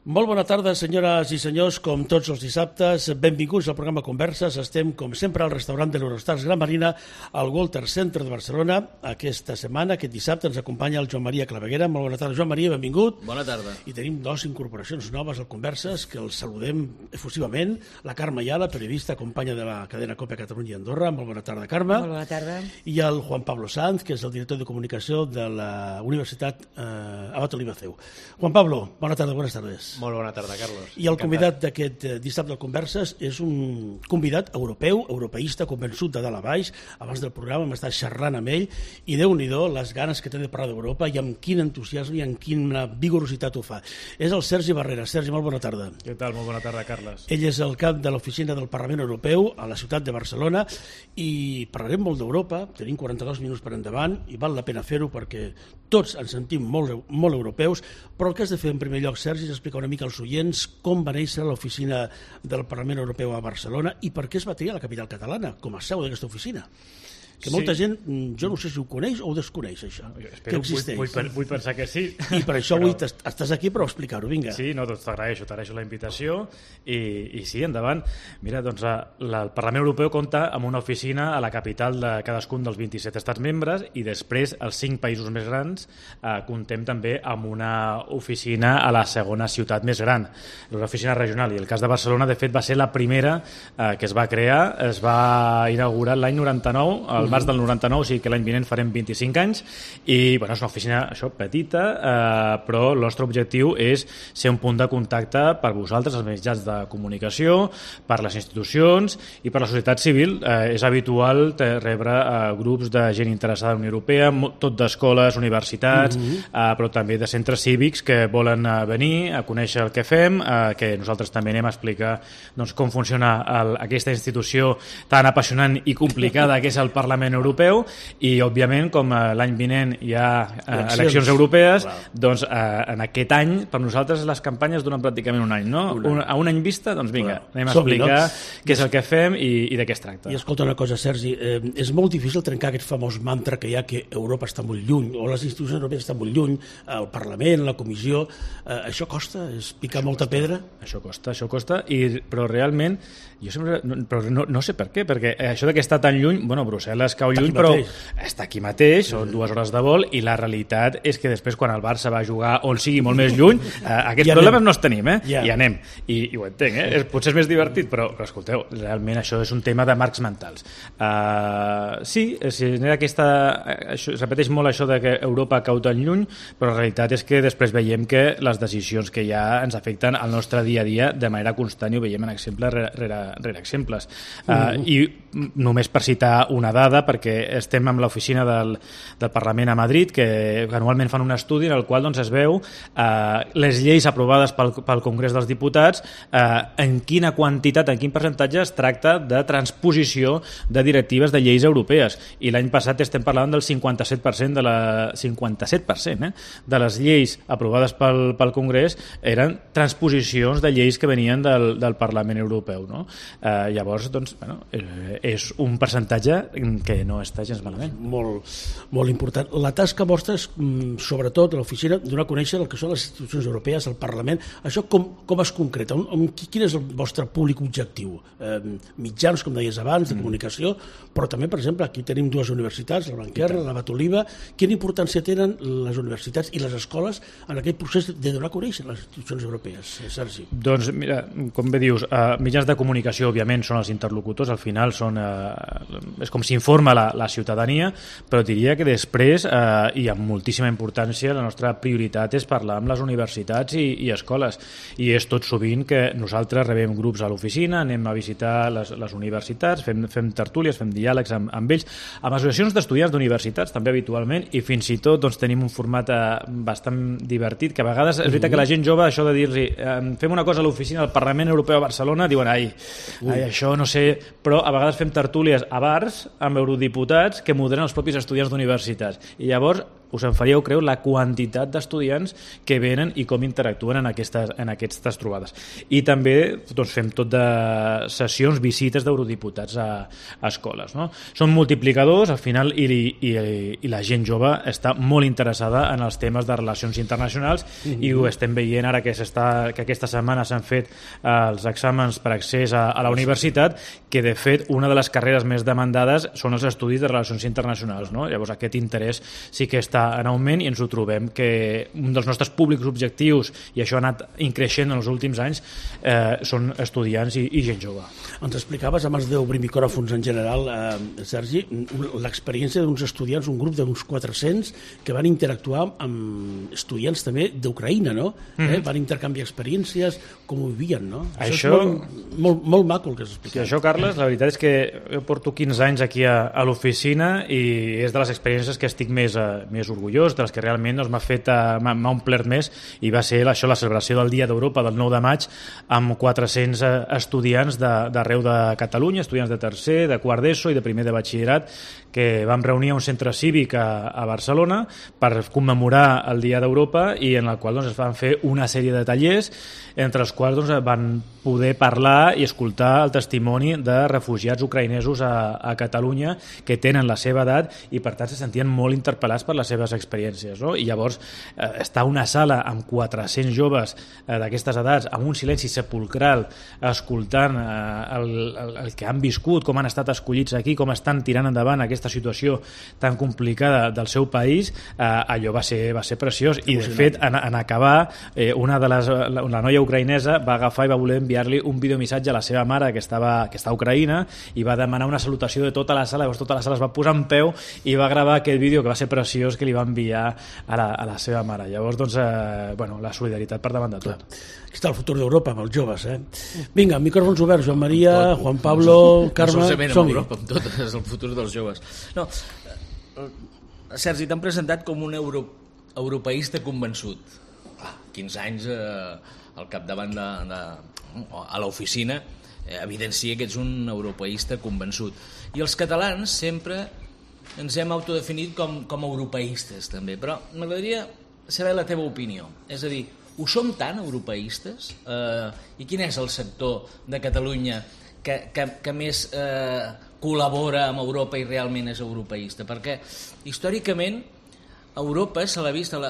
Molt bona tarda, senyores i senyors, com tots els dissabtes. Benvinguts al programa Converses. Estem, com sempre, al restaurant de l'Eurostars Gran Marina, al Walter Center de Barcelona. Aquesta setmana, aquest dissabte, ens acompanya el Joan Maria Claveguera. Molt bona tarda, Joan Maria, benvingut. Bona tarda. I tenim dues incorporacions noves al Converses, que els saludem efusivament. La Carme Ayala, periodista, companya de la cadena COPE Catalunya i Andorra. Molt bona tarda, Carme. Molt bona tarda. I el Juan Pablo Sanz, que és el director de comunicació de la Universitat Abat Oliva CEU. Juan Pablo, bona tarda, bones tardes. Molt bona tarda, Carlos. I el convidat d'aquest dissabte del Converses és un convidat europeu, europeista, convençut de dalt a baix. Abans del programa hem estat xerrant amb ell i Déu-n'hi-do les ganes que té de parlar d'Europa i amb quin entusiasme i amb quina vigorositat ho fa. És el Sergi Barrera. Sergi, molt bona tarda. Què tal? Molt bona tarda, Carles. Ell és el cap de l'oficina del Parlament Europeu a la ciutat de Barcelona i parlarem molt d'Europa. Tenim 42 minuts per endavant i val la pena fer-ho perquè tots ens sentim molt europeus, però el que has de fer en primer lloc, Sergi, és explicar una mica als oients com va néixer l'oficina del Parlament Europeu a Barcelona i per què es va triar la capital catalana com a seu d'aquesta oficina. Que molta gent, jo no sé si ho coneix o ho desconeix, això, que existeix. Vull pensar que sí. I per això avui estàs aquí per explicar-ho, vinga. Sí, no, doncs t'agraeixo la invitació i sí, endavant. Mira, doncs el Parlament Europeu compta amb una oficina a la capital de cadascun dels 27 estats membres i després els 5 països més grans comptem també amb una oficina a la segona ciutat més gran, una oficina regional, i el cas de Barcelona, de fet, va ser la primera que es va crear, es va inaugurar l'any 99, al març del 99, o sigui que l'any vinent farem 25 anys, i bueno, és una oficina petita, però el nostre objectiu és ser un punt de contacte per vosaltres, els mitjans de comunicació, per les institucions i per la societat civil. És habitual rebre grups de gent interessada en la Unió Europea, tot d'escoles, universitats, però també de centres cívics que volen venir a conèixer el que fem, que nosaltres també anem a explicar doncs, com funciona aquesta institució tan apassionant i complicada que és el Parlament Europeu, i òbviament com l'any vinent hi ha eleccions europees, doncs en aquest any per nosaltres les campanyes duren pràcticament un any, no? A un any vista, doncs vinga, anem a explicar què és el que fem i de què es tracta. I escolta una cosa, Sergi, és molt difícil trencar aquest famós mantra que hi ha que Europa està molt lluny, o les institucions europees estan molt lluny, el Parlament, la Comissió, això costa? És picar molta pedra? Això costa, però realment jo sempre, no sé per què, perquè això que està tan lluny, bueno, Brussel·les cau lluny, però està aquí mateix, són 2 hores de vol, i la realitat és que després quan el Barça va jugar on sigui molt més lluny, aquests problemes no els tenim, i anem, i ho entenc, potser és més divertit, però escolteu, realment això és un tema de marcs mentals. Sí, es repeteix molt això de que Europa cau tan lluny, però la realitat és que després veiem que les decisions que hi ha ens afecten al nostre dia a dia de manera constant, i ho veiem en exemples rere exemples. I només per citar una dada, perquè estem amb l'oficina del Parlament a Madrid, que anualment fan un estudi en el qual doncs, es veu les lleis aprovades pel Congrés dels Diputats, en quina quantitat, en quin percentatge es tracta de transposició de directives de lleis europees. I l'any passat estem parlant del 57% de les lleis aprovades pel Congrés eren transposicions de lleis que venien del Parlament Europeu. No? Llavors, doncs, bueno, és un percentatge que no està gens malament. Molt important. La tasca vostra és, sobretot, a l'oficina, donar a conèixer el que són les institucions europees, el Parlament. Això com es concreta? Quin és el vostre públic objectiu? Mitjans, com deies abans, de comunicació, però també, per exemple, aquí tenim 2 universitats, la Blanquerna, la Abat Oliva. Quina importància tenen les universitats i les escoles en aquest procés de donar a conèixer les institucions europees, Sergi? Doncs, mira, com bé dius, mitjans de comunicació, òbviament, són els interlocutors, al final és com s'informa la ciutadania, però diria que després, i amb moltíssima importància, la nostra prioritat és parlar amb les universitats i escoles, i és tot sovint que nosaltres rebem grups a l'oficina, anem a visitar les universitats, fem tertúlies, fem diàlegs amb ells, amb associacions d'estudiants d'universitats també habitualment, i fins i tot doncs, tenim un format bastant divertit, que a vegades és veritat que la gent jove, això de dir-li fem una cosa a l'oficina del Parlament Europeu a Barcelona, diuen, això no sé, però a vegades fem tertúlies a bars amb eurodiputats que moderen els propis estudiants d'universitats, i llavors us en faríeu creure la quantitat d'estudiants que venen i com interactuen en aquestes trobades. I també doncs, fem tot de sessions, visites d'eurodiputats a escoles. No? Són multiplicadors, al final, i la gent jove està molt interessada en els temes de relacions internacionals i ho estem veient ara que aquesta setmana s'han fet els exàmens per accés a la universitat, que de fet una de les carreres més demandades són els estudis de relacions internacionals. No? Llavors aquest interès sí que està en augment i ens ho trobem que un dels nostres públics objectius, i això ha anat increixent en els últims anys, són estudiants i gent jove. Ens explicaves abans d'obrir micròfons en general, Sergi, l'experiència d'uns estudiants, un grup d'uns 400 que van interactuar amb estudiants també d'Ucraïna, no? Van intercanviar experiències, com ho vivien, no? Això és molt maco el que has explicat. Això, Carles, la veritat és que jo porto 15 anys aquí a l'oficina i és de les experiències que estic més orgullós, de les que realment m'ha omplert més, i va ser això, la celebració del Dia d'Europa del 9 de maig amb 400 estudiants d'arreu de Catalunya, estudiants de tercer, de quart d'ESO i de primer de batxillerat, que vam reunir a un centre cívic a Barcelona per commemorar el Dia d'Europa i en el qual doncs, es van fer una sèrie de tallers entre els quals doncs, van poder parlar i escoltar el testimoni de refugiats ucraïnesos a Catalunya que tenen la seva edat i per tant se sentien molt interpel·lats per les seves experiències. No? I llavors estar a una sala amb 400 joves d'aquestes edats amb un silenci sepulcral escoltant el que han viscut, com han estat escollits aquí, com estan tirant endavant aquesta situació tan complicada del seu país, allò va ser preciós i de fet en acabar la noia ucraïnesa va agafar i va voler enviar-li un videomissatge a la seva mare que està a Ucraïna i va demanar una salutació de tota la sala, llavors tota la sala es va posar en peu i va gravar aquest vídeo que va ser preciós que li va enviar a la seva mare. Llavors, doncs, la solidaritat per davant de tot. Aquí està el futur d'Europa amb els joves, Vinga, micròfons oberts, Joan Maria, Juan Pablo, Carme, som-hi. Europa, amb tot, és el futur dels joves. No, Sergi, t'han presentat com un europeista convençut. 15 anys al capdavant a l'oficina evidencia que ets un europeista convençut. I els catalans sempre ens hem autodefinit com europeistes també, però m'agradaria saber la teva opinió. És a dir, ho som tan europeistes? I quin és el sector de Catalunya que més col·labora amb Europa i realment és europeista? Perquè històricament Europa se l'ha vist, a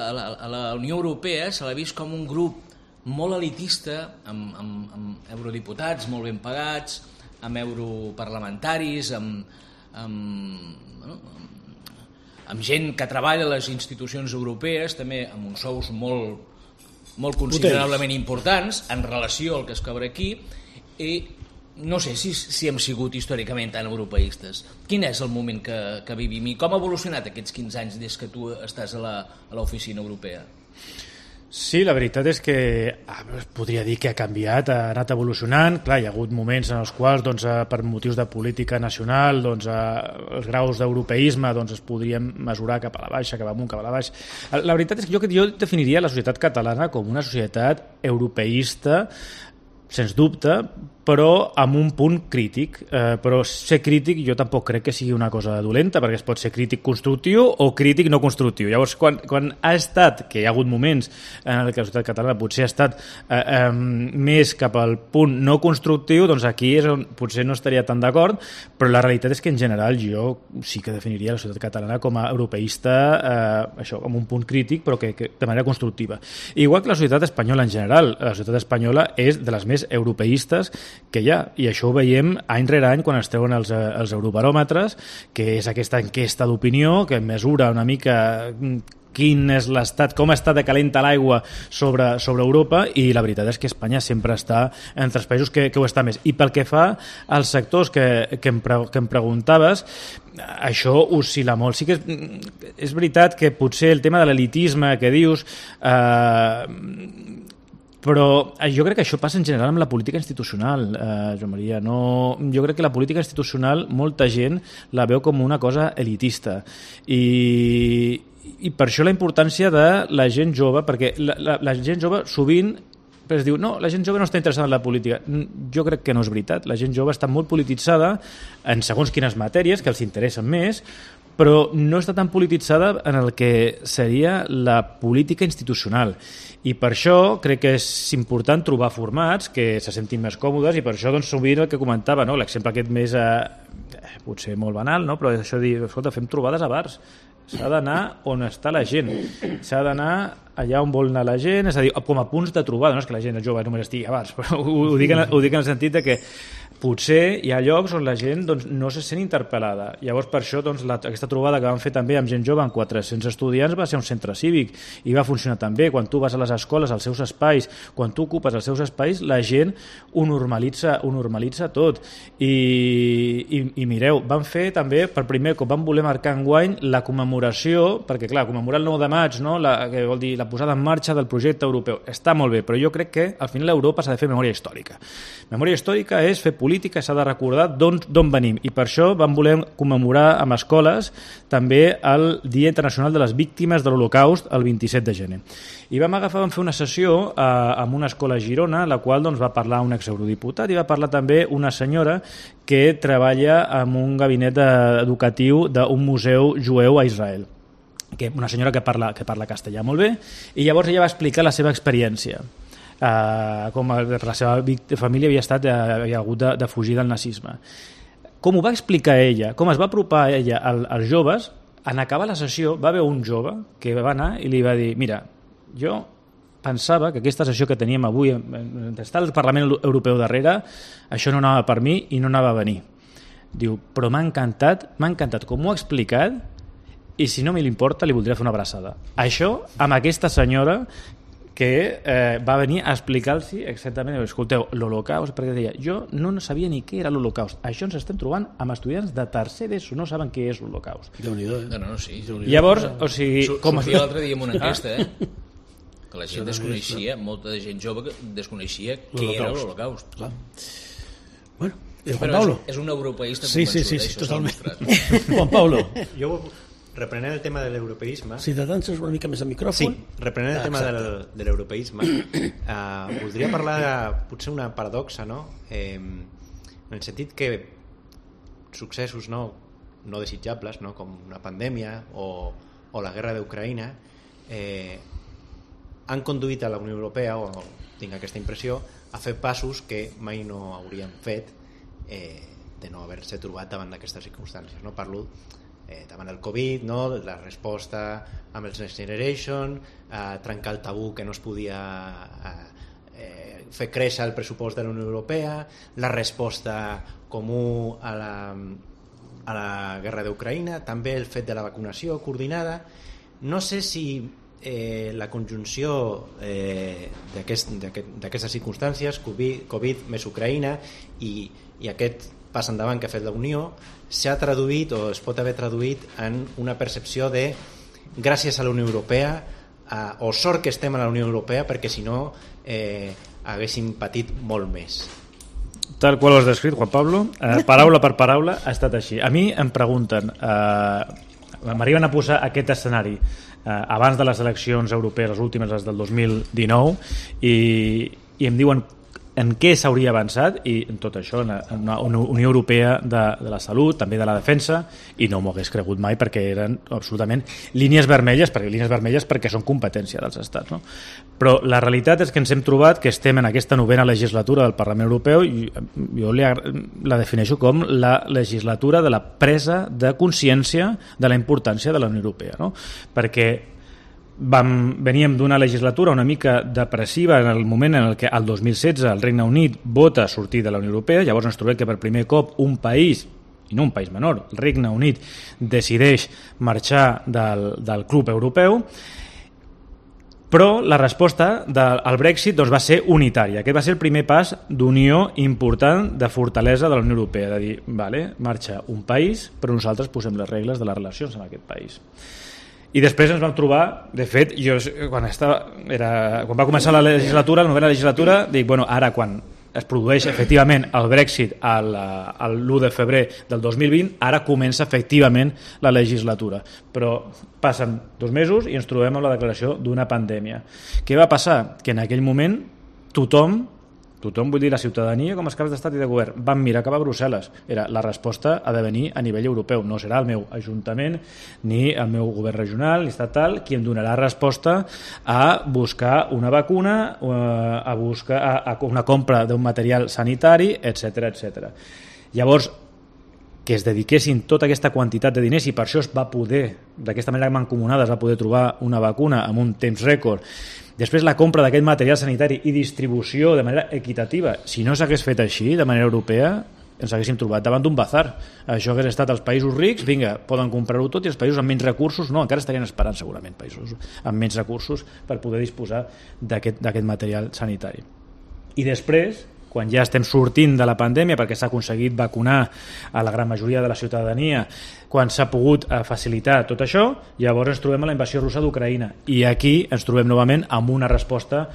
la Unió Europea se l'ha vist com un grup molt elitista, amb eurodiputats molt ben pagats, amb europarlamentaris, amb gent que treballa a les institucions europees, també amb uns sous molt considerablement importants en relació al que es cobra aquí, i no sé si hem sigut històricament tan europeistes. Quin és el moment que vivim i com ha evolucionat aquests 15 anys des que tu estàs a l'oficina europea? Sí, la veritat és que podria dir que ha canviat, ha anat evolucionant. Clar, hi ha hagut moments en els quals per motius de política nacional els graus d'europeisme es podrien mesurar cap a la baixa, cap amunt, cap a la baixa. La veritat és que jo definiria la societat catalana com una societat europeista, sens dubte, però amb un punt crític. Però ser crític jo tampoc crec que sigui una cosa dolenta, perquè es pot ser crític constructiu o crític no constructiu. Llavors, quan ha estat, que hi ha hagut moments en què la societat catalana potser ha estat més cap al punt no constructiu, doncs aquí és on potser no estaria tan d'acord, però la realitat és que en general jo sí que definiria la societat catalana com a europeista, això, amb un punt crític, però que de manera constructiva. Igual que la societat espanyola en general. La societat espanyola és de les més europeistes que hi ha, i això ho veiem any rere any quan es treuen els eurobaròmetres, que és aquesta enquesta d'opinió que mesura una mica quin és l'estat, com està de calenta l'aigua sobre Europa, i la veritat és que Espanya sempre està entre els països que ho està més. I pel que fa als sectors que em preguntaves, això oscil·la molt. Sí que és veritat que potser el tema de l'elitisme que dius però jo crec que això passa en general amb la política institucional, Joan Maria. Jo crec que la política institucional molta gent la veu com una cosa elitista i per això la importància de la gent jove, perquè la gent jove sovint es diu, no, la gent jove no està interessada en la política. Jo crec que no és veritat. La gent jove està molt polititzada en segons quines matèries que els interessen més, però no està tan polititzada en el que seria la política institucional. I per això crec que és important trobar formats que se sentin més còmodes, i per això doncs, sovint el que comentava, no? L'exemple aquest més potser molt banal, no? Però això de dir, escolta, fem trobades a bars. S'ha d'anar on està la gent, s'ha d'anar allà on vol anar la gent, és a dir, com a punts de trobada, no és que la gent jove només estigui a bars, però ho dic en el sentit de que potser hi ha llocs on la gent doncs, no se sent interpel·lada. Llavors, per això, doncs, aquesta trobada que vam fer també amb gent jove, amb 400 estudiants, va ser un centre cívic i va funcionar també. Quan tu vas a les escoles, als seus espais, quan tu ocupes els seus espais, la gent ho normalitza tot. I mireu, vam fer també, per primer cop, vam voler marcar enguany la commemoració, perquè clar, commemorar el 9 de maig, no? Que vol dir la posada en marxa del projecte europeu. Està molt bé, però jo crec que al final Europa s'ha de fer memòria històrica. Memòria històrica és fer política, s'ha de recordar d'on venim, i per això vam voler commemorar amb escoles també el Dia Internacional de les Víctimes de l'Holocaust el 27 de gener. I vam fer una sessió amb una escola a Girona, la qual doncs, va parlar un exeurodiputat, i va parlar també una senyora que treballa en un gabinet educatiu d'un museu jueu a Israel, una senyora que parla castellà molt bé, i llavors ella va explicar la seva experiència. Com per la seva família havia hagut de fugir del nazisme. Com ho va explicar ella, com es va apropar ella als joves, en acabar la sessió va haver un jove que va anar i li va dir: mira, jo pensava que aquesta sessió que teníem avui, està el Parlament Europeu darrere, això no anava per mi i no anava a venir. Diu, però m'ha encantat com ho ha explicat, i si no me li importa li voldria fer una abraçada. Això amb aquesta senyora que va venir a explicar-los exactament, escolteu, l'Holocaust, perquè deia, jo no sabia ni què era l'Holocaust. Això ens estem trobant amb estudiants de tercer d'ESO, no saben què és l'Holocaust. Déu-n'hi-do, sí. Llavors, o sigui... Sortia l'altre dia amb una enquesta, que la gent desconeixia, molta gent jove que desconeixia què era l'Holocaust. Clar. Bueno, Juan Pablo. És un europeista convençut. Sí, totalment. Juan Pablo. Jo reprenent el tema de l'europeisme... Si t'atances una mica més al micròfon... Sí, reprenent el tema de l'europeisme, voldria parlar de potser una paradoxa, no? En el sentit que successos no desitjables, no? Com una pandèmia o la guerra d'Ucraïna, han conduït a la Unió Europea, o tinc aquesta impressió, a fer passos que mai no haurien fet de no haver-se trobat davant d'aquestes circumstàncies. No? Parlo davant del Covid, no? La resposta amb els Next Generation, trencar el tabú que no es podia fer créixer el pressupost de la Unió Europea, la resposta comú a la guerra d'Ucraïna, també el fet de la vacunació coordinada. No sé si la conjunció d'aquestes circumstàncies, Covid més Ucraïna i aquest pas endavant que ha fet la Unió, s'ha traduït o es pot haver traduït en una percepció de gràcies a la Unió Europea, o sort que estem a la Unió Europea, perquè si no haguéssim patit molt més. Tal qual ho has descrit, Juan Pablo, paraula per paraula ha estat així. A mi em pregunten, m'arriben a posar aquest escenari abans de les eleccions europees, les últimes, les del 2019, i em diuen en què s'hauria avançat, i en tot això, en una Unió Europea de la salut, també de la defensa, i no m'ho hagués cregut mai, perquè eren absolutament línies vermelles perquè són competència dels estats, no? Però la realitat és que ens hem trobat que estem en aquesta 9a legislatura del Parlament Europeu, i jo la defineixo com la legislatura de la presa de consciència de la importància de la Unió Europea, no? Perquè veníem d'una legislatura una mica depressiva en el moment en què el 2016 el Regne Unit vota sortir de la Unió Europea. Llavors ens trobem que per primer cop un país, i no un país menor, el Regne Unit decideix marxar del club europeu, però la resposta al Brexit doncs, va ser unitària. Aquest va ser el primer pas d'unió important, de fortalesa de la Unió Europea, de dir, vale, marxa un país, però nosaltres posem les regles de les relacions amb aquest país. I després ens vam trobar, de fet, quan va començar la legislatura, la 9a legislatura, dic, bueno, ara quan es produeix efectivament el Brexit l'1 de febrer del 2020, ara comença efectivament la legislatura. Però passen 2 mesos i ens trobem amb la declaració d'una pandèmia. Què va passar? Que en aquell moment tothom Tothom, vull dir, la ciutadania com els caps d'estat i de govern van mirar cap a Brussel·les. La resposta ha de venir a nivell europeu. No serà el meu ajuntament ni el meu govern regional ni estatal qui em donarà resposta a buscar una vacuna, a buscar una compra d'un material sanitari, etc etc. Llavors, que es dediquessin tota aquesta quantitat de diners i per això es va poder, d'aquesta manera mancomunada, es va poder trobar una vacuna amb un temps rècord. Després la compra d'aquest material sanitari i distribució de manera equitativa. Si no s'hagués fet així, de manera europea, ens haguéssim trobat davant d'un bazar. Això hagués estat els països rics, vinga, poden comprar-ho tot, i els països amb menys recursos, no, encara estarien esperant segurament països amb menys recursos per poder disposar d'aquest material sanitari. I després, quan ja estem sortint de la pandèmia perquè s'ha aconseguit vacunar a la gran majoria de la ciutadania, quan s'ha pogut facilitar tot això, llavors ens trobem a la invasió russa d'Ucraïna i aquí ens trobem novament amb una resposta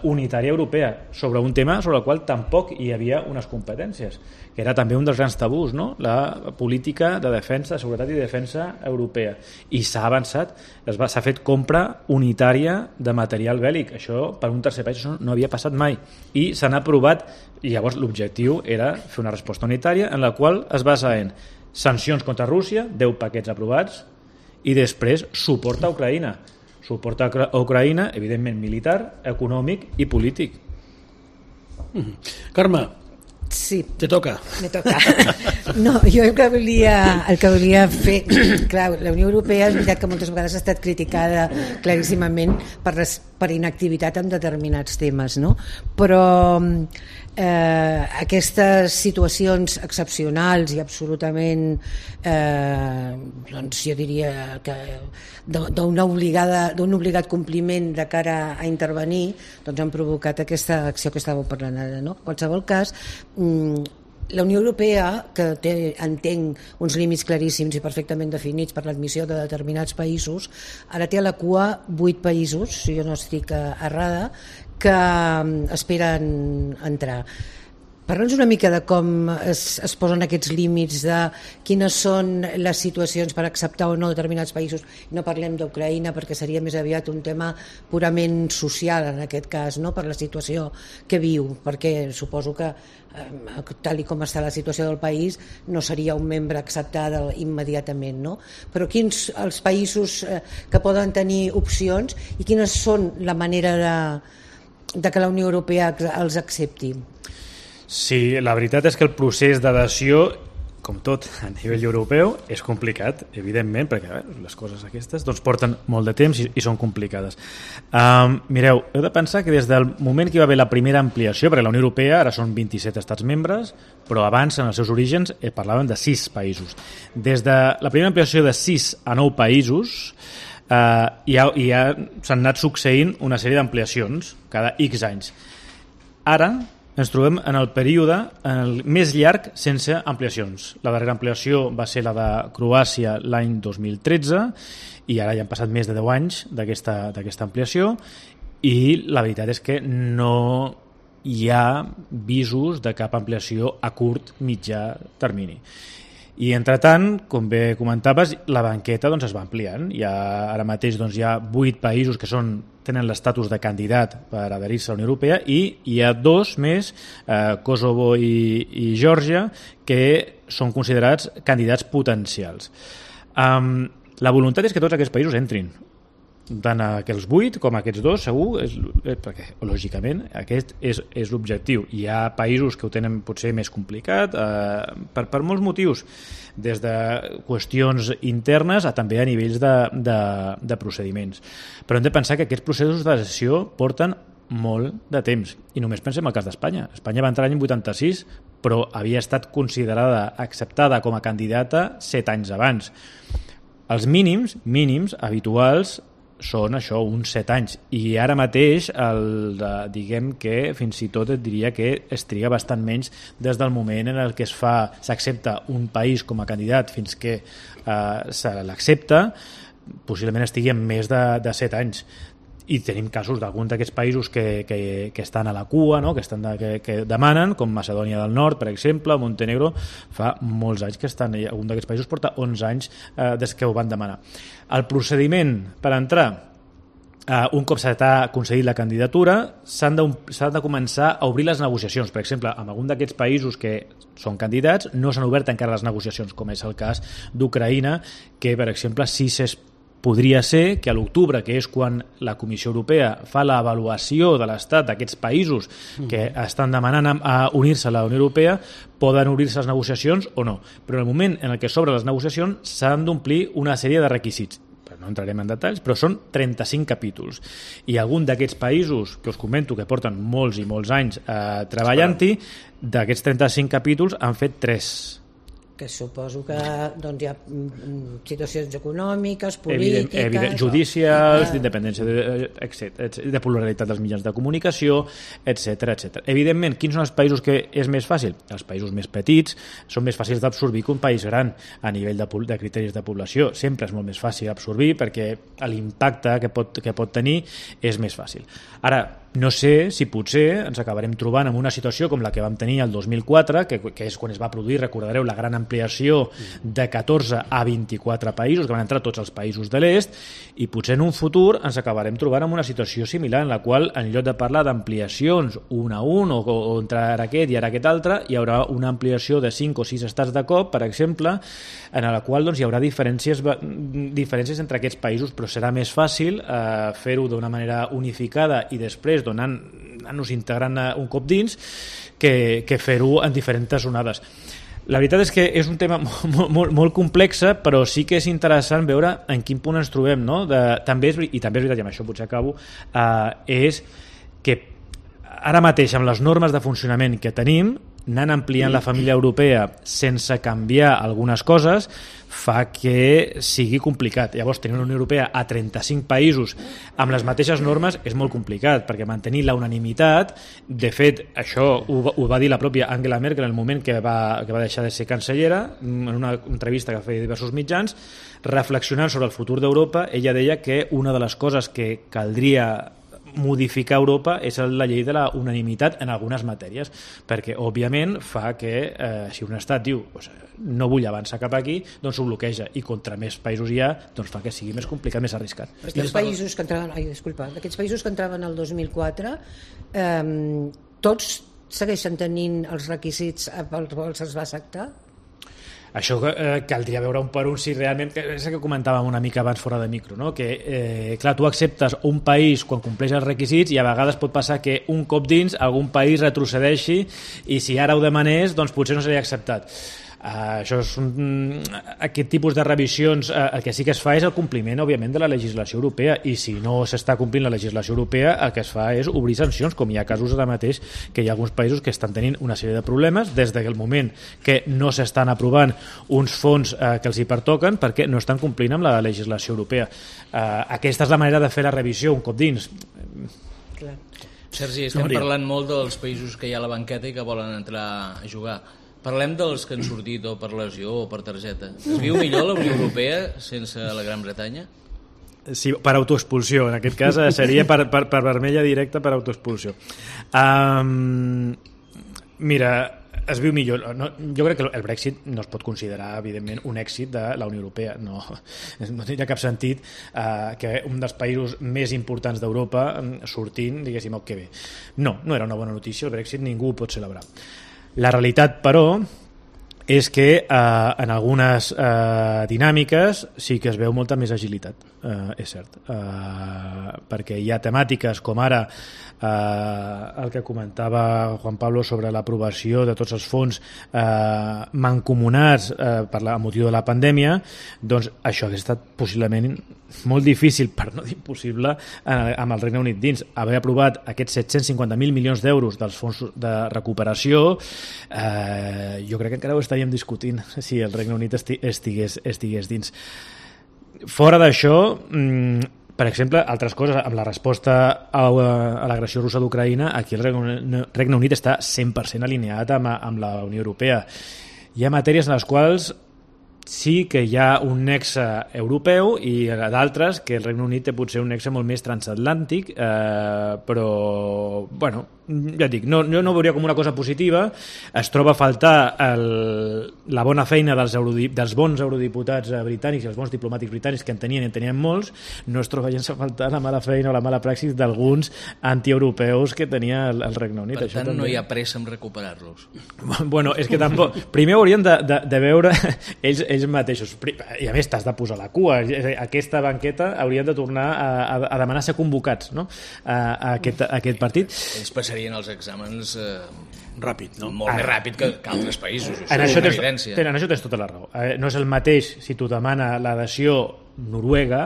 unitària europea sobre un tema sobre el qual tampoc hi havia unes competències, que era també un dels grans tabús, no? La política de defensa, de seguretat i defensa europea. I s'ha avançat, s'ha fet compra unitària de material bèl·lic. Això per un tercer país no havia passat mai. I s'han aprovat, i llavors l'objectiu era fer una resposta unitària en la qual es basa en sancions contra Rússia, 10 paquets aprovats, i després suport a Ucraïna. Suport a Ucraïna, evidentment militar, econòmic i polític. Carme, sí, te toca. Me toca. No, jo el que volia fer... Clar, la Unió Europea és veritat que moltes vegades ha estat criticada claríssimament per inactivitat en determinats temes, no? Però aquestes situacions excepcionals i absolutament doncs jo diria que d'un obligat compliment de cara a intervenir, doncs han provocat aquesta acció que estàveu parlant ara, no? En qualsevol cas, la Unió Europea, que té, entenc, uns límits claríssims i perfectament definits per l'admissió de determinats països, ara té a la cua 8 països, si jo no estic errada, que esperen entrar. Parla'ns una mica de com es posen aquests límits, de quines són les situacions per acceptar o no determinats països. No parlem d'Ucraïna perquè seria més aviat un tema purament social en aquest cas, no? Per la situació que viu, perquè suposo que tal com està la situació del país no seria un membre acceptat immediatament, no? Però quins els països que poden tenir opcions i quines són la manera de que la Unió Europea els accepti? Sí, la veritat és que el procés d'adhesió, com tot a nivell europeu, és complicat, evidentment, perquè les coses aquestes doncs, porten molt de temps i són complicades. Mireu, heu de pensar que des del moment que hi va haver la primera ampliació, perquè la Unió Europea ara són 27 estats membres, però abans, en els seus orígens, parlàvem de 6 països. Des de la primera ampliació de 6 a 9 països, s'han anat succeint una sèrie d'ampliacions cada X anys. Ara ens trobem en el període més llarg sense ampliacions. La darrera ampliació va ser la de Croàcia l'any 2013 i ara ja han passat més de 10 anys d'aquesta ampliació i la veritat és que no hi ha visos de cap ampliació a curt mitjà termini. I entretant, com bé comentaves, la banqueta doncs, es va ampliant. Ara mateix doncs, hi ha 8 països que tenen l'estatus de candidat per adherir-se a la Unió Europea i hi ha 2 més, Kosovo i Geòrgia, que són considerats candidats potencials. La voluntat és que tots aquests països entrin, tant aquests 8 com aquests 2 segur, perquè lògicament aquest és l'objectiu. Hi ha països que ho tenen potser més complicat per molts motius, des de qüestions internes a també a nivells de procediments. Però hem de pensar que aquests processos d'adhesió porten molt de temps i només pensem en el cas d'Espanya. Espanya va entrar l'any 86 però havia estat considerada, acceptada com a candidata 7 anys abans. Els mínims habituals són això, uns 7 anys, i ara mateix diguem que fins i tot et diria que es triga bastant menys des del moment en el que s'accepta un país com a candidat fins que se l'accepta, possiblement estigui en més de 7 anys. I tenim casos d'alguns d'aquests països que estan a la cua, no? que demanen, com Macedònia del Nord, per exemple, Montenegro, fa molts anys que estan, algun d'aquests països porta 11 anys des que ho van demanar. El procediment per entrar, un cop s'ha concedit la candidatura, s'han de començar a obrir les negociacions. Per exemple, en algun d'aquests països que són candidats no s'han obert encara les negociacions, com és el cas d'Ucraïna, que, per exemple, podria ser que a l'octubre, que és quan la Comissió Europea fa l'avaluació de l'estat d'aquests països que estan demanant a unir-se a la Unió Europea, poden obrir-se les negociacions o no. Però en el moment en què s'obren les negociacions s'han d'omplir una sèrie de requisits. No entrarem en detalls, però són 35 capítols. I algun d'aquests països que us comento que porten molts i molts anys treballant-hi, d'aquests 35 capítols han fet 3. Que suposo que doncs, hi ha situacions econòmiques, polítiques... judicials, d'independència, de pluralitat dels mitjans de comunicació, etc. Evidentment, quins són els països que és més fàcil? Els països més petits són més fàcils d'absorbir que un país gran a nivell de criteris de població. Sempre és molt més fàcil absorbir perquè l'impacte que pot tenir és més fàcil. Ara, no sé si potser ens acabarem trobant en una situació com la que vam tenir el 2004, que és quan es va produir, recordareu, la gran ampliació de 14 a 24 països, que van entrar tots els països de l'est, i potser en un futur ens acabarem trobant en una situació similar, en la qual, en lloc de parlar d'ampliacions un a un, o entre ara aquest i ara aquest altre, hi haurà una ampliació de 5 o 6 estats de cop, per exemple, en la qual doncs, hi haurà diferències entre aquests països, però serà més fàcil fer-ho d'una manera unificada i després anar-nos integrant un cop dins que fer-ho en diferents onades. La veritat és que és un tema molt complex, però sí que és interessant veure en quin punt ens trobem, no? També és veritat, i amb això potser acabo, és que ara mateix amb les normes de funcionament que tenim, anant ampliant la família europea sense canviar algunes coses fa que sigui complicat. Llavors, tenir una Unió Europea a 35 països amb les mateixes normes és molt complicat, perquè mantenir la unanimitat, de fet, això ho va dir la pròpia Angela Merkel en el moment que va deixar de ser cancellera, en una entrevista que feia diversos mitjans, reflexionant sobre el futur d'Europa, ella deia que una de les coses que caldria modificar Europa és la llei de la unanimitat en algunes matèries, perquè òbviament fa que si un estat diu no vull avançar cap aquí, doncs ho bloqueja, i contra més països hi ha, doncs fa que sigui més complicat, més arriscat. Aquests països que entraven el 2004 tots segueixen tenint els requisits pels quals es va acceptar? Això caldria veure un per un si realment, és el que comentàvem una mica abans fora de micro, no? Que clar, tu acceptes un país quan compleix els requisits i a vegades pot passar que un cop dins algun país retrocedeixi i si ara ho demanés doncs potser no seria acceptat. Això és aquest tipus de revisions, el que sí que es fa és el compliment, òbviament, de la legislació europea, i si no s'està complint la legislació europea, el que es fa és obrir sancions, com hi ha casos ara mateix que hi ha alguns països que estan tenint una sèrie de problemes des del moment que no s'estan aprovant uns fons que els hi pertoquen perquè no estan complint amb la legislació europea. Aquesta és la manera de fer la revisió un cop dins. Clar. Sergi, estem parlant molt dels països que hi ha a la banqueta i que volen entrar a jugar. Parlem dels que han sortit o per lesió o per targeta. Es viu millor la Unió Europea sense la Gran Bretanya? Sí, per autoexpulsió. En aquest cas seria per vermella directa per autoexpulsió. Mira, es viu millor. No, jo crec que el Brexit no es pot considerar, evidentment, un èxit de la Unió Europea. No tenia cap sentit que un dels països més importants d'Europa sortint, diguéssim, que bé. No era una bona notícia. El Brexit ningú ho pot celebrar. La realitat, però, és que en algunes dinàmiques sí que es veu molta més agilitat, és cert, perquè hi ha temàtiques com ara el que comentava Juan Pablo sobre l'aprovació de tots els fons mancomunats per la motiu de la pandèmia, doncs això hauria estat possiblement molt difícil, per no dir impossible, amb el Regne Unit dins. Haver aprovat aquests 750.000 milions d'euros dels fons de recuperació, jo crec que encara ho estaríem discutint si el Regne Unit estigués dins. Fora d'això, per exemple, altres coses, amb la resposta a l'agressió russa d'Ucraïna, aquí el Regne Unit està 100% alineat amb la Unió Europea. Hi ha matèries en les quals sí que hi ha un nexe europeu i d'altres que el Regne Unit té potser un nexe molt més transatlàntic, però bueno, ja et dic, no veuria com una cosa positiva. Es troba a faltar la bona feina dels bons eurodiputats britànics i els bons diplomàtics britànics que en tenien molts. No es troba gens a faltar la mala feina o la mala praxis d'alguns antieuropeus que tenia el Regne Unit. Per tant, no hi ha pressa en recuperar-los. Bueno, és que tampoc... Primer haurien de veure ells mateixos. I a més, t'has de posar la cua. Aquesta banqueta haurien de tornar a demanar ser convocats, no? a aquest partit. Ells passarien els exàmens ràpid, no? Molt més ràpid que altres països. En això tens tota la raó. No és el mateix si t'ho demana l'adhesió Noruega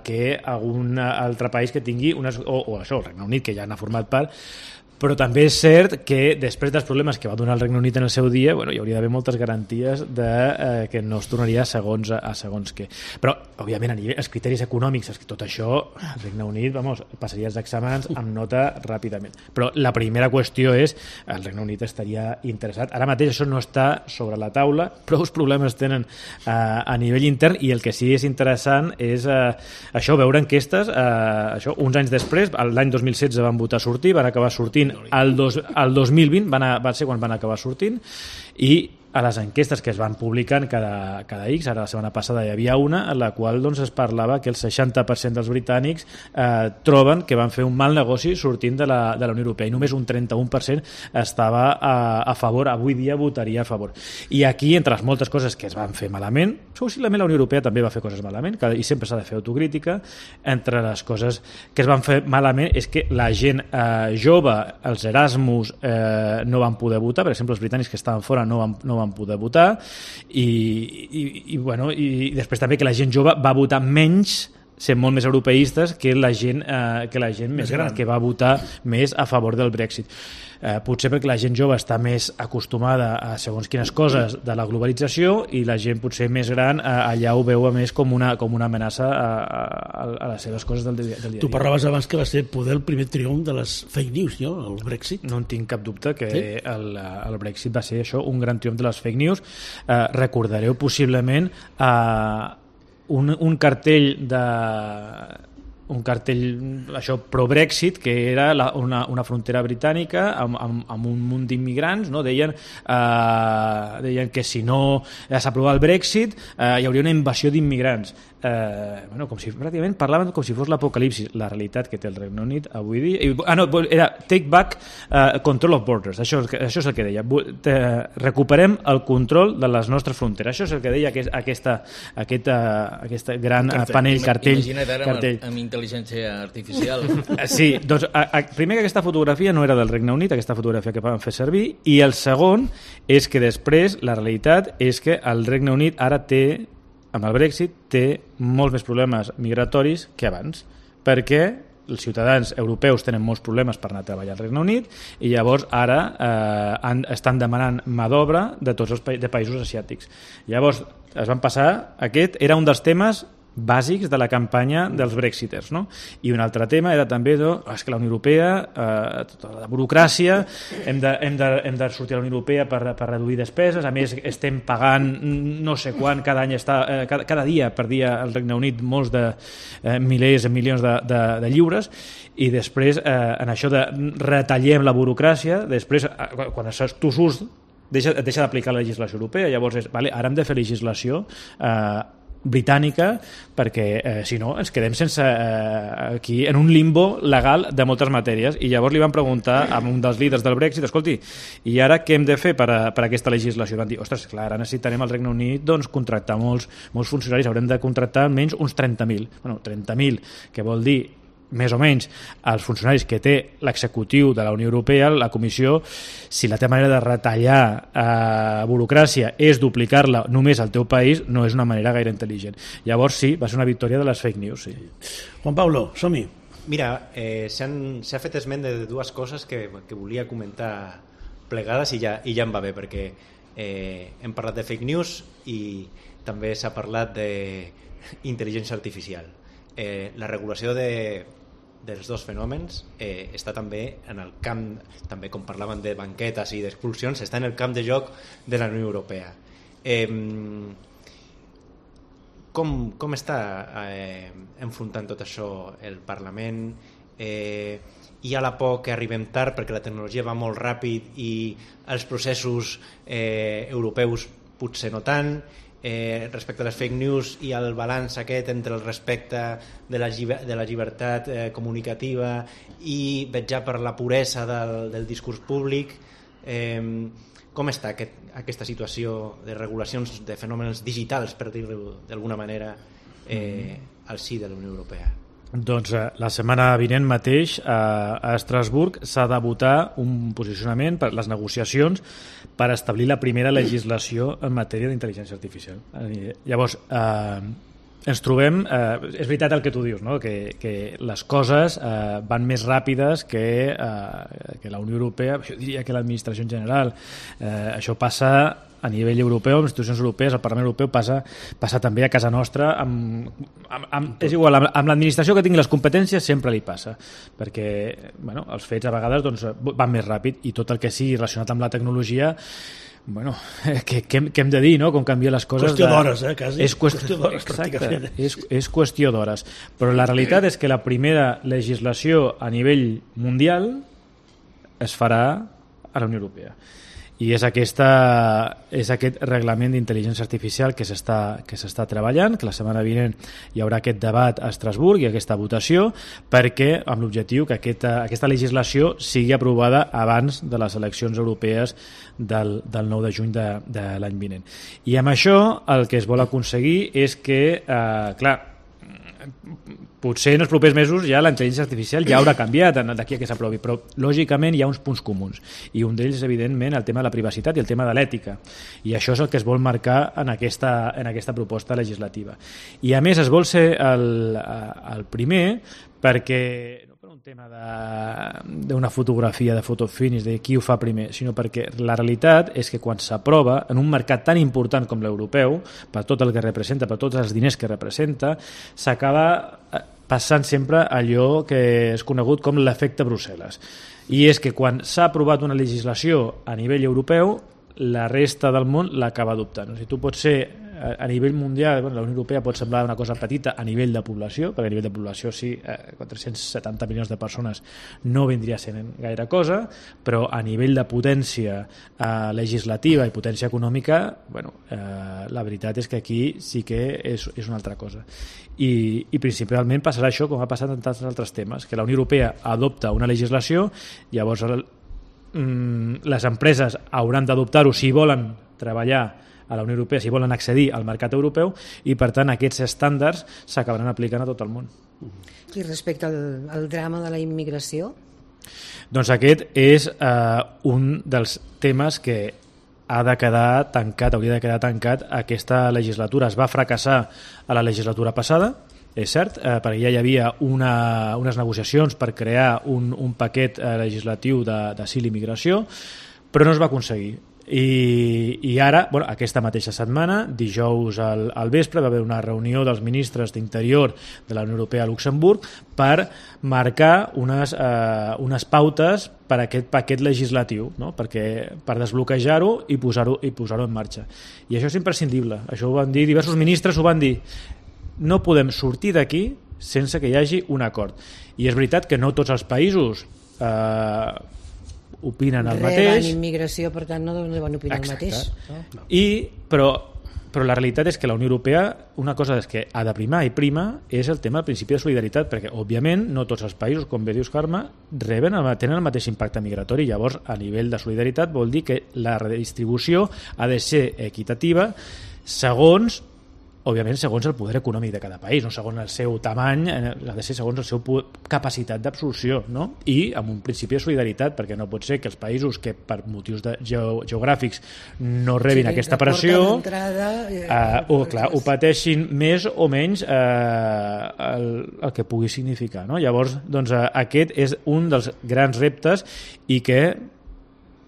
que algun altre país que tingui o això, el Regne Unit, que ja n'ha format part. Però també és cert que després dels problemes que va donar el Regne Unit en el seu dia, hi hauria d'haver moltes garanties que no es tornaria a segons què. Però, òbviament, a nivell, els criteris econòmics, tot això, el Regne Unit, passaria els exàmens amb nota ràpidament. Però la primera qüestió és el Regne Unit estaria interessat. Ara mateix això no està sobre la taula, prou problemes tenen a nivell intern, i el que sí és interessant és això, veure enquestes, uns anys després, l'any 2016 van votar sortir, van acabar sortint el 2020 va ser quan van acabar sortint, i a les enquestes que es van publicant cada X, ara la setmana passada hi havia una en la qual es parlava que el 60% dels britànics troben que van fer un mal negoci sortint de la Unió Europea, i només un 31% estava a favor, avui dia votaria a favor. I aquí, entre les moltes coses que es van fer malament, possiblement la Unió Europea també va fer coses malament, i sempre s'ha de fer autocrítica. Entre les coses que es van fer malament és que la gent jove, els Erasmus, no van poder votar. Per exemple, els britànics que estaven fora no van poder votar, i després també que la gent jove va votar menys, sent molt més europeistes que la gent més gran, que va votar més a favor del Brexit. Potser perquè la gent jove està més acostumada a segons quines coses de la globalització, i la gent potser més gran allà ho veu més com una amenaça a les seves coses del dia a dia. Tu parlaves abans que va ser poder el primer triomf de les fake news, no? El Brexit. No en tinc cap dubte que el Brexit va ser això, un gran triomf de les fake news. Recordareu possiblement un cartell això pro-Brexit, que era una frontera britànica amb un munt d'immigrants, no? Deien que si no s'aprovava el Brexit hi hauria una invasió d'immigrants. Pràcticament parlaven com si fos l'apocalipsis. La realitat que té el Regne Unit avui dia... era take back control of borders. Això és el que deia. Recuperem el control de les nostres fronteres. Això és el que deia aquest gran cartell. Imagina't ara amb intel·ligència artificial. Sí, doncs primer que aquesta fotografia no era del Regne Unit, aquesta fotografia que van fer servir, i el segon és que després la realitat és que el Regne Unit ara amb el Brexit té molts més problemes migratoris que abans, perquè els ciutadans europeus tenen molts problemes per anar a treballar al Regne Unit, i llavors ara estan demanant mà d'obra de tots els països asiàtics. Llavors es van passar, aquest era un dels temes bàsics de la campanya dels brexiters, no? I un altre tema era també és que la Unió Europea, tota la burocràcia, hem de sortir a la Unió Europea per reduir despeses, a més estem pagant no sé quant cada any, cada dia perdia el Regne Unit molts de milers, milions de lliures, i després en això de retallem la burocràcia, després quan tu surts deixa d'aplicar la legislació europea, llavors ara hem de fer legislació britànica, perquè si no ens quedem sense aquí en un limbo legal de moltes matèries. I llavors li van preguntar a un dels líders del Brexit, escolti, i ara què hem de fer per aquesta legislació? Van dir, ostres, clar, ara necessitarem al Regne Unit contractar molts funcionaris, haurem de contractar almenys uns 30.000. Bueno, 30.000, que vol dir més o menys els funcionaris que té l'executiu de la Unió Europea, la Comissió. Si la teva manera de retallar burocràcia és duplicar-la només al teu país, no és una manera gaire intel·ligent. Llavors sí, va ser una victòria de les fake news. Sí. Juan Pablo, som-hi. Mira, s'ha fet esment de dues coses que volia comentar plegades i ja em va bé, perquè hem parlat de fake news i també s'ha parlat d'intel·ligència artificial. La regulació dels dos fenòmens està també en el camp, també com parlaven de banquetes i d'expulsions, està en el camp de joc de la Unió Europea. Com està enfrontant tot això el Parlament, hi ha la por que arribem tard perquè la tecnologia va molt ràpid i els processos europeus potser no tant, respecte a les fake news i el balanç aquest entre el respecte de la llibertat comunicativa i vetllar per la puresa del discurs públic. Com està aquesta situació de regulacions de fenòmens digitals, per dir-ho d'alguna manera, al si de la Unió Europea? Doncs la setmana vinent mateix a Estrasburg s'ha de votar un posicionament per les negociacions per establir la primera legislació en matèria d'intel·ligència artificial. Llavors, ens trobem, és veritat el que tu dius, no? que les coses van més ràpides que la Unió Europea, jo diria que l'administració en general. Això passa a nivell europeu, amb institucions europees, el Parlament Europeu passa també a casa nostra, és igual, amb l'administració que tingui les competències sempre li passa, perquè els fets a vegades van més ràpid i tot el que sigui relacionat amb la tecnologia, què hem de dir, no? Com canvia les coses. Qüestió d'hores, quasi. És qüestió d'hores, pràcticament. És qüestió d'hores. Però la realitat és que la primera legislació a nivell mundial es farà a la Unió Europea. I és aquest reglament d'intel·ligència artificial que s'està treballant, que la setmana vinent hi haurà aquest debat a Estrasburg i aquesta votació, perquè amb l'objectiu que aquesta legislació sigui aprovada abans de les eleccions europees del 9 de juny de l'any vinent. I amb això el que es vol aconseguir és que, potser en els propers mesos ja la intel·ligència artificial ja haurà canviat d'aquí a que s'aprovi, però lògicament hi ha uns punts comuns i un d'ells és evidentment el tema de la privacitat i el tema de l'ètica, i això és el que es vol marcar en aquesta proposta legislativa. I a més es vol ser el primer perquè no per un tema d'una fotografia de photo finish, de qui ho fa primer, sinó perquè la realitat és que quan s'aprova en un mercat tan important com l'europeu, per tot el que representa, per tots els diners que representa, s'acaba passant sempre allò que és conegut com l'efecte Brussel·les. I és que quan s'ha aprovat una legislació a nivell europeu, la resta del món l'acaba adoptant. O sigui, tu pots ser a nivell mundial, la Unió Europea pot semblar una cosa petita a nivell de població, perquè a nivell de població 470 milions de persones no vindria sent gaire cosa, però a nivell de potència legislativa i potència econòmica, la veritat és que aquí sí que és una altra cosa. I principalment passarà això com ha passat en tants altres temes, que la Unió Europea adopta una legislació, llavors les empreses hauran d'adoptar-ho si volen treballar a la Unió Europea, si volen accedir al mercat europeu, i per tant aquests estàndards s'acabaran aplicant a tot el món. I respecte al drama de la immigració? Doncs aquest és un dels temes que hauria de quedar tancat aquesta legislatura. Es va fracassar a la legislatura passada, és cert, perquè ja hi havia unes negociacions per crear un paquet legislatiu d'asil i immigració, però no es va aconseguir. I ara, aquesta mateixa setmana, dijous al vespre, va haver una reunió dels ministres d'Interior de la Unió Europea a Luxemburg per marcar unes pautes per a aquest paquet legislatiu, no? Per desbloquejar-ho i posar-ho en marxa. I això és imprescindible. Això ho van dir diversos ministres, ho van dir. No podem sortir d'aquí sense que hi hagi un acord. I és veritat que no tots els països opinen el mateix. Reben immigració, per tant no deuen opinar el mateix. No? Però la realitat és que la Unió Europea, una cosa és que ha de primar i prima és el tema del principi de solidaritat, perquè òbviament no tots els països, com bé dius Carme, tenen el mateix impacte migratori. Llavors a nivell de solidaritat vol dir que la redistribució ha de ser equitativa segons el poder econòmic de cada país, no segons el seu tamany, ha de ser segons la seva capacitat d'absorció, no? I amb un principi de solidaritat, perquè no pot ser que els països que per motius geogràfics no rebin aquesta pressió ho pateixin més o menys el que pugui significar, no? Llavors, aquest és un dels grans reptes i que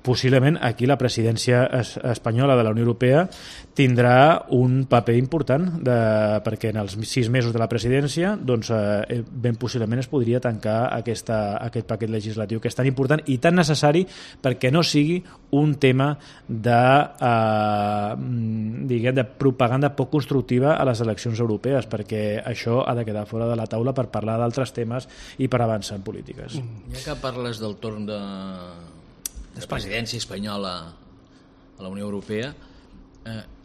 possiblement aquí la presidència espanyola de la Unió Europea tindrà un paper important perquè en els 6 mesos de la presidència doncs, ben possiblement es podria tancar aquest paquet legislatiu que és tan important i tan necessari perquè no sigui un tema de propaganda poc constructiva a les eleccions europees, perquè això ha de quedar fora de la taula per parlar d'altres temes i per avançar en polítiques. Ja que parles del torn de presidència espanyola a la Unió Europea,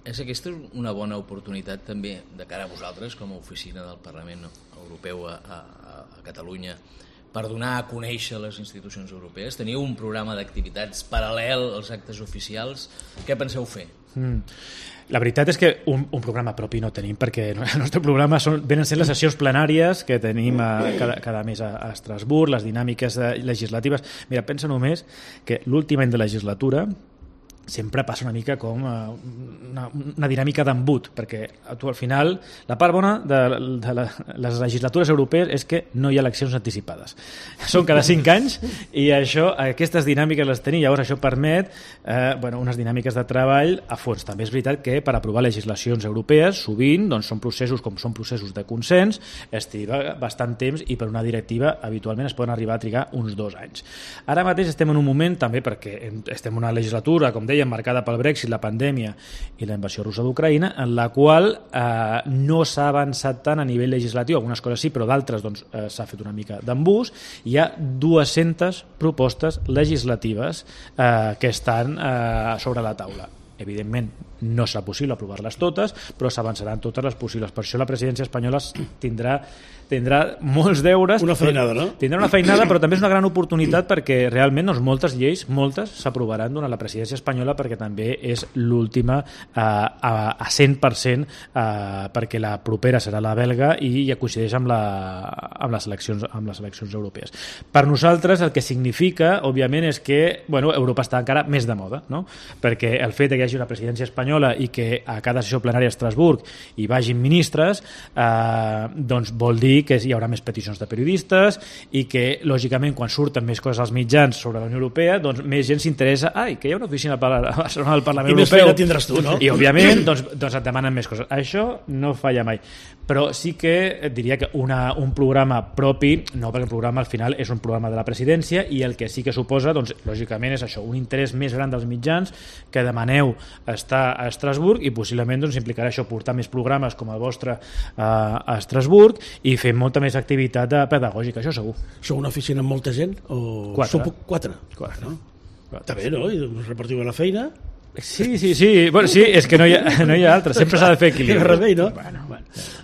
és aquesta una bona oportunitat també de cara a vosaltres com a oficina del Parlament Europeu a Catalunya per donar a conèixer les institucions europees? Teniu un programa d'activitats paral·lel als actes oficials? Què penseu fer? La veritat és que un programa propi no tenim, perquè el nostre programa venen sent les sessions plenàries que tenim cada mes a Estrasburg, les dinàmiques legislatives. Mira, pensa només que l'últim any de legislatura sempre passa una mica com una dinàmica d'embut, perquè tu al final la part bona de les legislatures europees és que no hi ha eleccions anticipades. Són cada 5 anys i aquestes dinàmiques les tenim, llavors això permet unes dinàmiques de treball a fons. També és veritat que per aprovar legislacions europees sovint doncs, són processos de consens, es triga bastant temps i per una directiva habitualment es poden arribar a trigar uns 2 anys. Ara mateix estem en un moment també perquè estem en una legislatura, com dèiem, marcada pel Brexit, la pandèmia i la invasió russa d'Ucraïna, en la qual no s'ha avançat tant a nivell legislatiu, algunes coses sí, però d'altres doncs, s'ha fet una mica d'embús. Hi ha 200 propostes legislatives que estan sobre la taula. Evidentment, no serà possible aprovar-les totes, però s'avançaran totes les possibles. Per això la presidència espanyola tindrà molts deures. Una feinada, no? Tindrà una feinada, però també és una gran oportunitat perquè realment doncs, moltes lleis, s'aprovaran durant la presidència espanyola perquè també és l'última a 100% perquè la propera serà la belga i ja coincideix amb les eleccions europees. Per nosaltres el que significa, òbviament, és que Europa està encara més de moda, no? Perquè el fet que hi hagi una presidència espanyola i que a cada sessió plenària a Estrasburg hi vagin ministres, doncs vol dir que hi haurà més peticions de periodistes i que, lògicament, quan surten més coses als mitjans sobre la Unió Europea, doncs més gent s'interessa, que hi ha una oficina a Barcelona del Parlament Europeu. I més feina tindràs tu, no? I, òbviament, doncs et demanen més coses. Això no falla mai. Però sí que et diria que un programa propi, no, perquè el programa al final és un programa de la presidència i el que sí que suposa, doncs, lògicament, és això, un interès més gran dels mitjans que demaneu estar a Estrasburg i possiblement doncs, implicarà això, portar més programes com el vostre a Estrasburg i fer molta més activitat pedagògica, això segur. Sou una oficina amb molta gent? O... 4. 4. No? Està bé, no? I us repartiu la feina? Sí. Bueno, sí, és que no hi ha altre, sempre s'ha de fer equilibri. Remei, no? Bueno.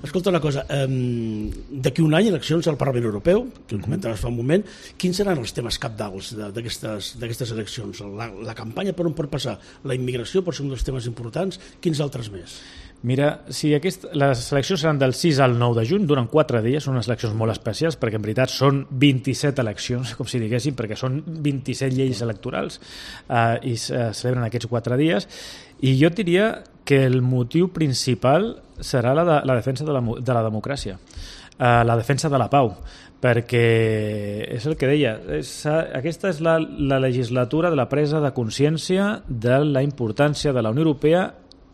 Escolta una cosa, d'aquí un any eleccions al Parlament Europeu, que ho comentaves fa un moment, quins seran els temes cabdals d'aquestes eleccions? La campanya per on pot passar? La immigració pot ser un dels temes importants? Quins altres més? Mira, si les eleccions seran del 6 al 9 de juny, duren 4 dies, són unes eleccions molt especials perquè en veritat són 27 eleccions, com si diguéssim, perquè són 27 lleis electorals i se celebren aquests 4 dies i jo diria que el motiu principal serà la defensa de la democràcia, la defensa de la pau, perquè és el que deia, aquesta és la legislatura de la presa de consciència de la importància de la Unió Europea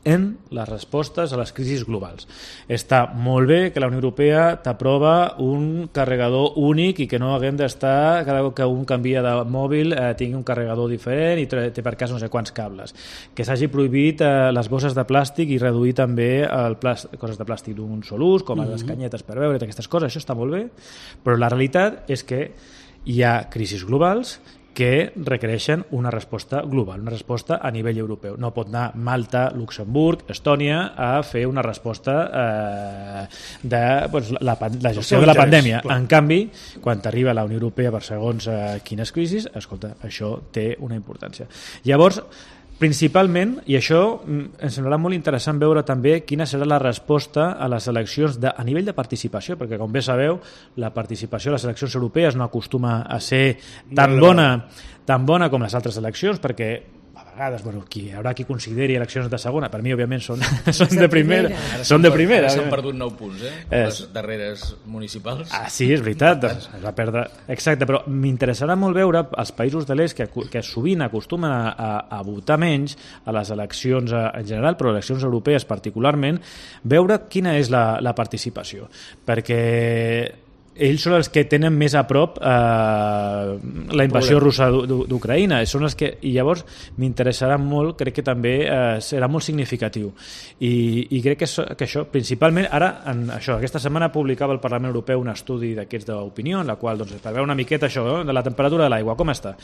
en les respostes a les crisis globals. Està molt bé que la Unió Europea t'aprova un carregador únic i que no haguem d'estar, cada cop que un canvia de mòbil tingui un carregador diferent i té per cas no sé quants cables. Que s'hagi prohibit les bosses de plàstic i reduir també coses de plàstic d'un sol ús, com les canyetes per beure, aquestes coses, això està molt bé, però la realitat és que hi ha crisis globals que requereixen una resposta global, una resposta a nivell europeu. No pot anar Malta, Luxemburg, Estònia a fer una resposta de la gestió de la pandèmia. En canvi, quan t'arriba la Unió Europea per segons quines crisis, escolta, això té una importància. Llavors, principalment, i això ens semblarà molt interessant veure també quina serà la resposta a les eleccions a nivell de participació, perquè com bé sabeu, la participació a les eleccions europees no acostuma a ser tan bona com les altres eleccions, perquè vegades, hi haurà qui consideri eleccions de segona, per mi, òbviament, són de primera. Són de primera. S'han perdut 9 punts, les darreres municipals. Sí, és veritat, es va perdre. Exacte, però m'interessarà molt veure els països de l'est que sovint acostumen a votar menys a les eleccions en general, però eleccions europees particularment, veure quina és la participació. Perquè ells són els que tenen més a prop la invasió russa d'Ucraïna, són els que, i llavors m'interessarà molt, crec que també serà molt significatiu i crec que això principalment ara, aquesta setmana publicava el Parlament Europeu un estudi d'aquests d'opinió en la qual es preveu una miqueta això, de la temperatura de l'aigua, com està,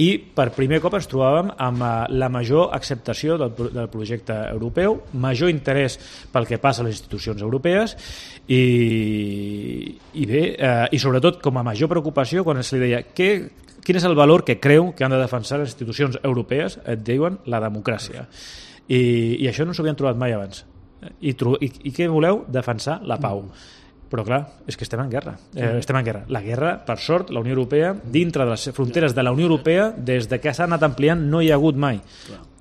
i per primer cop ens trobàvem amb la major acceptació del projecte europeu, major interès pel que passa a les institucions europees i bé, i sobretot com a major preocupació quan se li deia quin és el valor que creu que han de defensar les institucions europees, et diuen la democràcia, i això no s'ho havien trobat mai abans, i què voleu? Defensar la pau. Però clar, és que estem en guerra. La guerra, per sort, la Unió Europea, dintre de les fronteres de la Unió Europea, des que s'ha anat ampliant no hi ha hagut mai,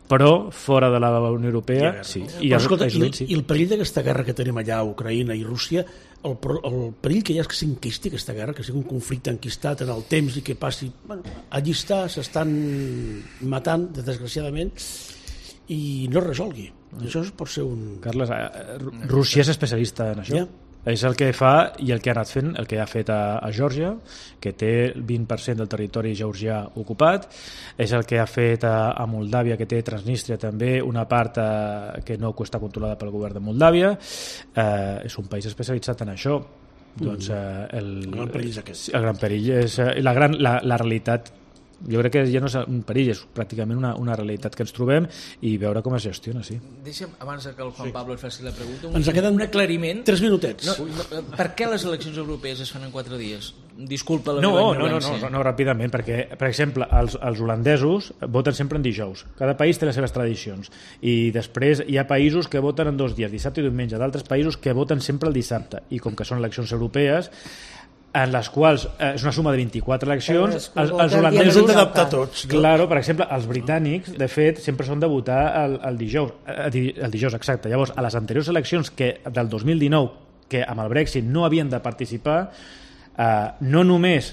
però fora de la Unió Europea sí. I el perill d'aquesta guerra que tenim allà a Ucraïna i Rússia, el perill que hi ha és que s'enquisti aquesta guerra, que sigui un conflicte enquistat en el temps i que passi... allí s'estan matant, desgraciadament, i no es resolgui. Això pot ser un... Carles, Rússia és especialista en això. És el que fa i el que ha anat fent, el que ha fet a Geòrgia, que té el 20% del territori georgià ocupat, és el que ha fet a Moldàvia, que té Transnistria també, una part que no està controlada pel govern de Moldàvia. És un país especialitzat en això. Doncs el gran perill és aquest. El gran perill és la realitat. Jo crec que ja no és un perill, és pràcticament una realitat que ens trobem i veure com es gestiona, sí. Deixa'm, abans que el Juan Pablo es faci la pregunta, ens queden un aclariment. 3 minutets. Per què les eleccions europees es fan en 4 dies? Disculpa la meva ignorància. No, ràpidament, perquè, per exemple, els holandesos voten sempre en dijous. Cada país té les seves tradicions. I després hi ha països que voten en 2 dies, dissabte i diumenge, d'altres països que voten sempre el dissabte. I com que són eleccions europees, en les quals és una suma de 24 eleccions, els holandesos d'adaptar tots. Claro, per exemple, els britànics, de fet, sempre són de votar el dijous. El dijous, exacte. Llavors, a les anteriors eleccions del 2019, que amb el Brexit no havien de participar, no només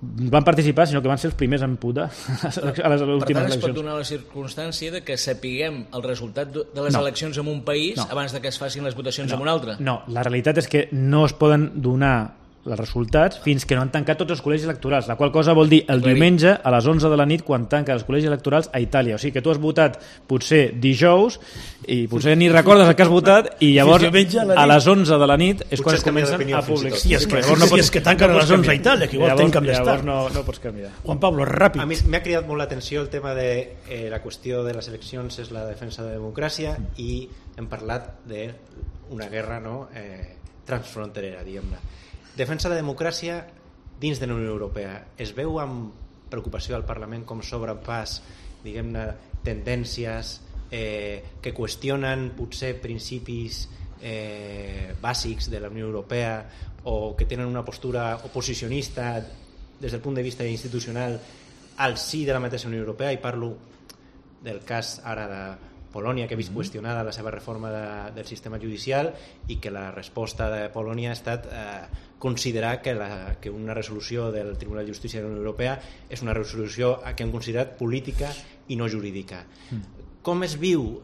van participar, sinó que van ser els primers en puta a les últimes eleccions. Per tant, es pot donar la circumstància de que sapiguem el resultat de les eleccions en un país abans de que es facin les votacions en un altre. No, la realitat és que no es poden donar els resultats fins que no han tancat tots els col·legis electorals, la qual cosa vol dir el diumenge a les 11 de la nit quan tanquen els col·legis electorals a Itàlia. O sigui que tu has votat potser dijous i potser ni recordes el que has votat i llavors a les 11 de la nit és quan es comencen a publicar. Si és que tanquen a les 11 a Itàlia, que igual tanquen més tard. Llavors no pots canviar. Juan Pablo, ràpid. A mi m'ha cridat molt l'atenció el tema de la qüestió de les eleccions és la defensa de la democràcia i hem parlat d'una guerra transfronterera, diguem-ne. Defensa de la democràcia dins de la Unió Europea. Es veu amb preocupació al Parlament com s'obren pas, diguem-ne, tendències que qüestionen potser principis bàsics de la Unió Europea o que tenen una postura oposicionista des del punt de vista institucional al sí de la mateixa Unió Europea, i parlo del cas ara de Polònia, que ha vist qüestionada la seva reforma del sistema judicial i que la resposta de Polònia ha estat considerar que una resolució del Tribunal de Justícia de la Unió Europea és una resolució que han considerat política i no jurídica. Com es viu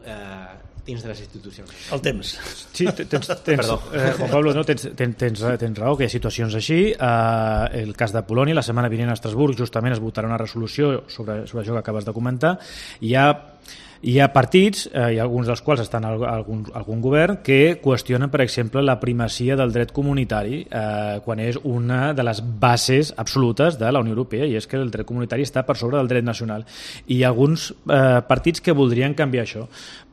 dins de les institucions? El temps. Sí, Juan Pablo, tens raó que hi ha situacions així. El cas de Polònia, la setmana vinent a Estrasburg justament es votarà una resolució sobre això que acabes de comentar. Hi ha partits, i alguns dels quals estan algun govern, que qüestionen, per exemple, la primacia del dret comunitari quan és una de les bases absolutes de la Unió Europea, i és que el dret comunitari està per sobre del dret nacional. I hi ha alguns partits que voldrien canviar això.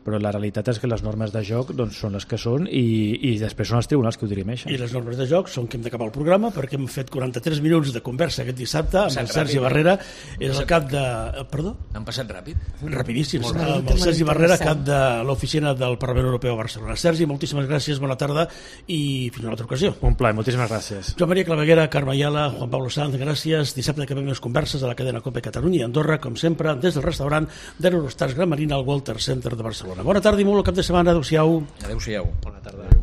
però la realitat és que les normes de joc doncs, són les que són i després són els tribunals que ho dirimeixen. I les normes de joc són que hem d'acabar el programa perquè hem fet 43 minuts de conversa aquest dissabte amb el Sergi Barrera, és el cap de... Perdó? Han passat ràpid? Rapidíssim, amb el Sergi Barrera, cap de l'oficina del Parlament Europeu a Barcelona. Sergi, moltíssimes gràcies, bona tarda i fins una altra ocasió. Un plaer, moltíssimes gràcies. Joan Maria Claveguera, Carme Ayala, Juan Pablo Sanz, gràcies. Dissabte que més converses a la cadena COPE Catalunya i Andorra, com sempre, des del restaurant d'Eurostars Gran Marina al Walter Center de Barcelona. Bona tarda i molt cap de setmana. Adéu-siau. Adéu-siau. Bona tarda.